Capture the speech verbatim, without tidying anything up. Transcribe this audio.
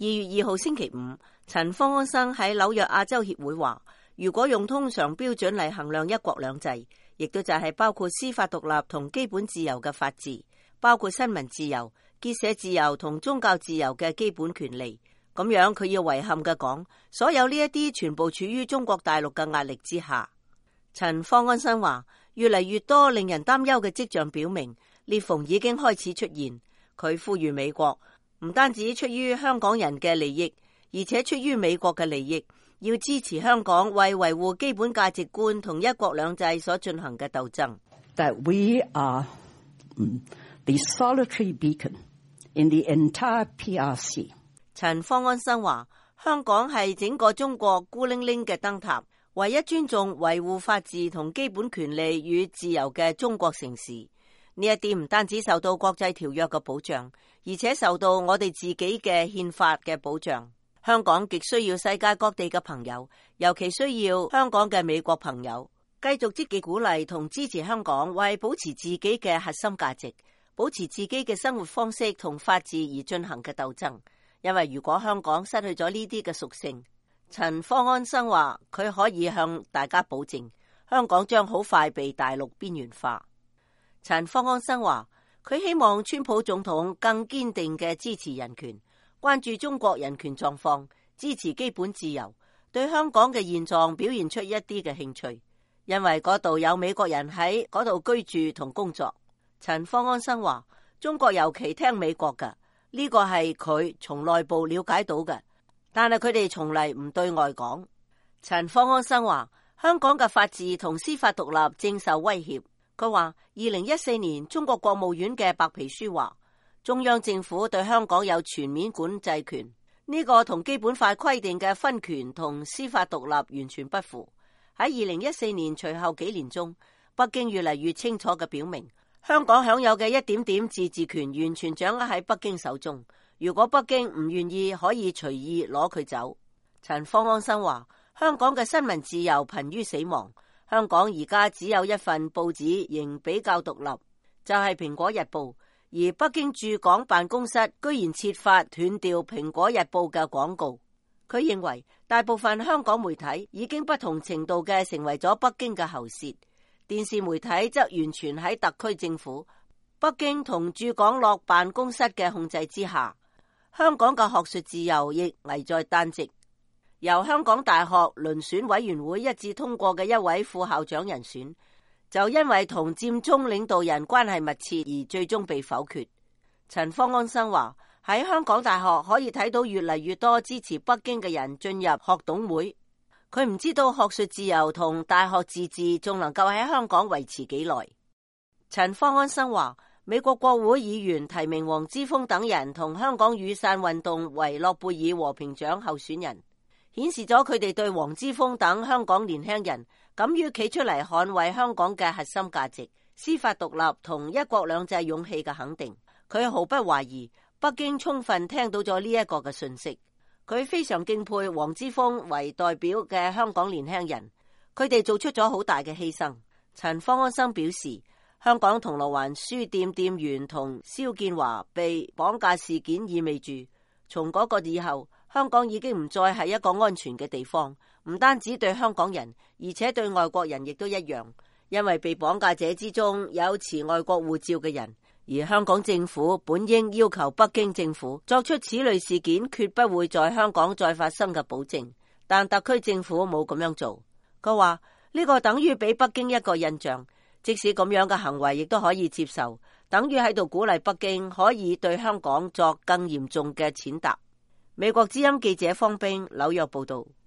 二月二號星期五，陳方安生喺紐約亞洲協會話，如果用通常標準嚟衡量一國兩制，亦都就係包括司法獨立同基本自由嘅法治，包括新聞自由、結社自由同宗教自由嘅基本權利。咁樣佢要遺憾嘅講，所有呢一啲全部處於中國大陸嘅壓力之下。陳方安生話，越嚟越多令人擔憂嘅跡象表明，裂縫已經開始出現。佢呼籲美國唔單止出於香港人嘅利益，而且出於美國嘅利益，要支持香港為維護基本價值觀同一國兩制所進行嘅鬥爭。That we are the solitary beacon in the entire P R C。 陳方安生話，香港係整個中國孤零零嘅燈塔，唯一尊重維護法治同基本權利與自由嘅中國城市。呢一啲唔單止受到國際條約嘅保障，而且受到我哋自己嘅憲法嘅保障。香港極需要世界各地嘅朋友，尤其需要香港嘅美國朋友，繼續積極鼓勵同支持香港為保持自己嘅核心價值、保持自己嘅生活方式同法治而進行嘅鬥爭。因為如果香港失去咗呢啲嘅屬性，陳方安生話佢可以向大家保證，香港將好快被大陸邊緣化。陳方安生話，佢希望川普總統更堅定嘅支持人權，關注中國人權狀況，支持基本自由，對香港嘅現狀表現出一啲嘅興趣，因為嗰度有美國人喺嗰度居住同工作。陳方安生話，中國尤其聽美國㗎，呢個係佢從內部了解到嘅，但係佢哋從嚟唔對外講。陳方安生話，香港嘅法治同司法獨立正受威脅。佢話，二零一四年中國國務院嘅白皮書話，中央政府對香港有全面管制權，呢個同基本法規定嘅分權同司法獨立完全不符。喺二零一四年隨後幾年中，北京越嚟越清楚嘅表明，香港享有嘅一點點自治權完全掌握喺北京手中。如果北京唔願意，可以隨意攞佢走。陳方安生話，香港嘅新聞自由瀕於死亡。香港而家只有一份報紙仍比較獨立，就係《蘋果日報》，而北京駐港辦公室居然設法斷掉《蘋果日報》嘅廣告。佢認為大部分香港媒體已經不同程度嘅成為咗北京嘅喉舌，電視媒體則完全喺特區政府、北京同駐港樂辦公室嘅控制之下。香港嘅學術自由亦危在旦夕。由香港大學遴選委員會一致通過嘅一位副校長人選，就因為同佔中領導人關係密切而最終被否決。陳方安生話，喺香港大學可以睇到越嚟越多支持北京嘅人進入學董會。佢唔知道學術自由同大學自治仲能夠喺香港維持幾耐。陳方安生話，美國國會議員提名黃之鋒等人同香港雨傘運動為諾貝爾和平獎候選人，顯示咗佢哋對黃之鋒等香港年輕人敢於企出嚟捍衛香港嘅核心價值、司法獨立同一國兩制勇氣嘅肯定。佢毫不懷疑北京充分聽到咗呢一個嘅訊息。佢非常敬佩黃之鋒為代表嘅香港年輕人，佢哋做出咗好大嘅犧牲。陳方安生表示，香港銅鑼灣書店店員同蕭建華被綁架事件意味住，從嗰個以後，香港已經唔再係一個安全嘅地方，唔單止對香港人，而且對外國人亦都一樣。因為被綁架者之中有持外國護照嘅人，而香港政府本應要求北京政府作出此類事件決不會在香港再發生嘅保證，但特區政府冇咁樣做。佢話呢個等於俾北京一個印象，即使咁樣嘅行為亦都可以接受，等於喺度鼓勵北京可以對香港作更嚴重嘅踐踏。美國之音記者方冰紐約報道。